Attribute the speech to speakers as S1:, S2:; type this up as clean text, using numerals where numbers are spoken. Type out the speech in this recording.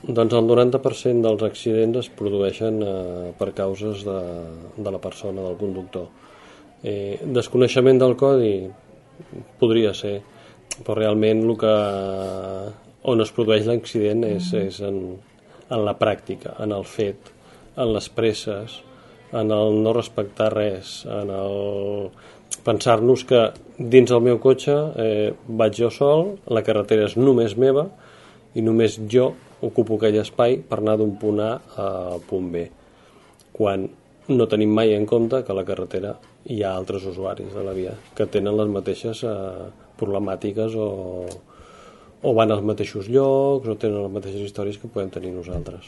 S1: Doncs el 90% dels accidents es produeixen per causes de la persona, del conductor. Desconeixement del codi podria ser, però realment on es produeix l'accident és en la pràctica, en el fet, en les presses, en el no respectar res, en el pensar-nos que dins del meu cotxe vaig jo sol, la carretera és només meva i només jo ocupo aquell espai per anar d'un punt A al punt B, quan no tenim mai en compte que a la carretera hi ha altres usuaris de la via que tenen les mateixes problemàtiques o van als mateixos llocs o tenen les mateixes històries que podem tenir nosaltres.